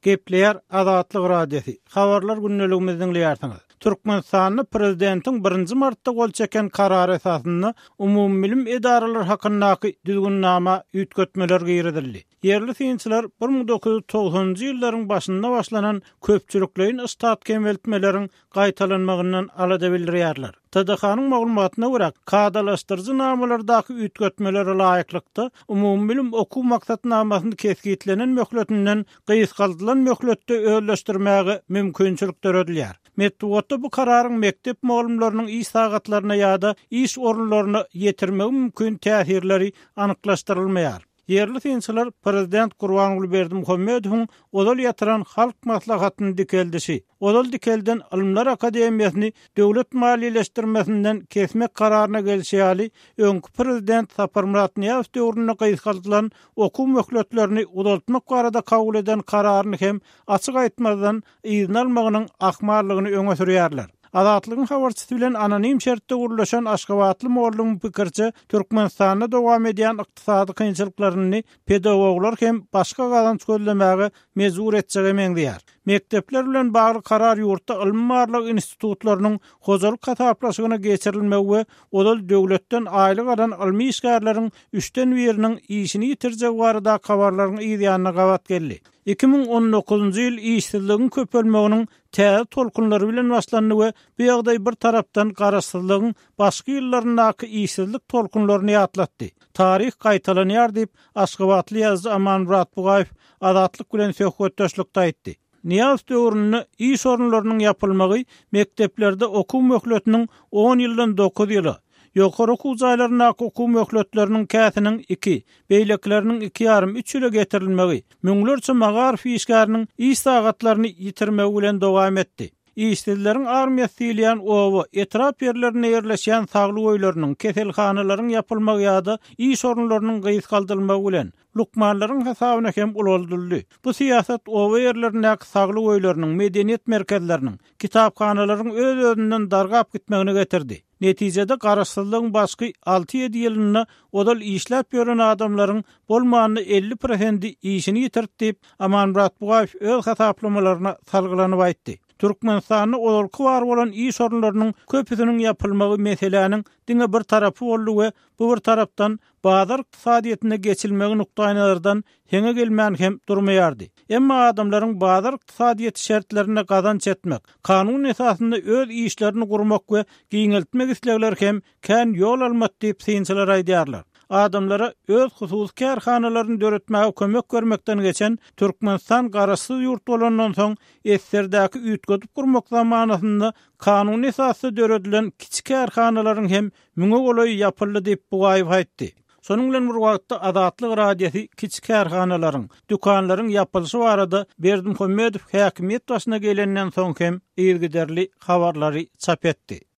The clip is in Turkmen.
Gepleýär Azatlyk Radiosy, Habarlar gündeligimizi diňleýärsiňiz. Türkmenistanda prezidentiň birinji martda gol çeken karary esasynda umumybilim edaralary hakyndaky düzgünnama üýtgetmeler girizildi. Ýerli synçylar 1990-njy ýyllaryň başynda başlanan köpçülikleýin ştat kemeltmeleriň gaýtalanmagyndan alada bildirýärler. TDH-nyň maglumatyna görä, kadalaşdyryjy namalardaky üýtgetmelere laýyklykda, umumybilim okuw maksatnamasyny kesgitlenen möhletinden gysgaldylan möhletde özleşdirmäge mümkinçilik döredilýär. Metbugatda bu kararyň mekdep mugallymlarynyň iş sagatlaryna ýa-da iş orunlaryna ýetirmegi mümkin täsirleri anyklaşdyrylmaýar. Ýerli synçylar prezident Gurbanguly Berdimuhamedowyň ozal ýatyran Halk Maslahatyny dikeldişi, ozal dikelden Ylymlar akademiýasyny döwlet maliýeleşdirmesinden kesmek kararyna gelşi ýaly, öňki prezident Saparmyrat Nyýazow döwründe gysgaldylan okuw möhletlerini uzaltmak barada kabul eden kararyny hem açyk aýtmazdan yzyna almagynyň ahmallygyny öňe sürýärler. Azatlygyň habarçysy bilen anonim şertde gürleşen aşgabatly mugallymyň pikiriçe, Türkmenistanda dowam edýän ykdysady kynçylyklaryny pedagoglar hem başga gazanç gözlemäge mejbur etjege meňzeýär. Mekdepler bilen bagly karar ýurtda ylmy-barlag institutlarynyň hojalyk hasaplaşygyna geçirilmegi we ozal döwletden aýlyk alan ylmy işgärleriň üçden biriniň işini ýitirjegi baradaky habarlaryň yzýanyna gabat geldi. 2019-njy ýyl işsizligiň köpelmeginiň täze tolkunlary bilen başlandy we bu ýagdaý bir tarapdan garaşsyzlygyň başky ýyllaryndaky işsizlik tolkunlaryny ýatlatdy. Taryh gaýtalanýar diýip, aşgabatly ýazyjy Amanmyrat Bugaýew Azatlyk bilen söhbetdeşlikde aýtdy. Nyýazow döwründe iş orunlarynyň ýapylmagy mekdeplerde okuw möhletiniň on ýyldan dokuz ýyla, Ýokary okuw jaýlaryndaky okuw möhletleriniň käsiniň iki, beýlekileriniň iki ýarym, üç ýyla getirilmegi, müňlerçe magaryf işgäriniň iş sagatlaryny ýitirmegi bilen dowam etdi. Işsizleriň armiýasy diýilýän oba, etrap ýerlerinde ýerleşýän saglyk öýleriniň, keselhanalaryň ýapylmagy ýa-da iş orunlarynyň gysgaldylmagy bilen, lukmanlaryň hasabyna hem ulaldyldy. Bu syýasat oba ýerlerindäki saglyk öýleriniň, medeniýet merkezleriniň, kitaphanalaryň öz-özünden dargap gitmegine getirdi. Netijede garaşsyzlygyň başky alty-ýedi ýylynda ozal işläp ýören adamlaryň bolmanda 50 prosendi işini ýitirdi diýip, Amanmyrat Bugaýew öz hasaplamalaryna salgylanyp aýtdy. Türkmenistanda ozalky bar bolan iş orunlarynyň köpüsiniň ýapylmagy meseläniň diňe bir tarapy boldy we bu bir tarapdan bazar ykdysadyýetine geçilmegi nukdaýnazardan heňe gelmän hem durmaýardy. Emma adamlaryň bazar ykdysadyýeti şertlerinde gazanç etmek, kanun esasynda öz işlerini gurmak we giňeltmek islegleri hem kän ýol almady diýip, synçylar aýdýarlar. Adamlara öz hususy kärhanalaryny döretmäge kömek bermekden geçen Türkmenistan garaşsyz ýurt bolandan soň SSR-däki üýtgedip gurmak zamanasynda kanuny esasda döredilen kiçi kärhanalaryň hem Müňe golaýy ýapyldy diýip, Bugaýew aýtdy. Şonuň bilen bir wagtda, Azatlyk Radiosy kiçi kärhanalaryň, dükanlaryň ýapylyşy barada Berdimuhamedow häkimiýet başyna gelenden soň hem yzygiderli habarlary çap etdi.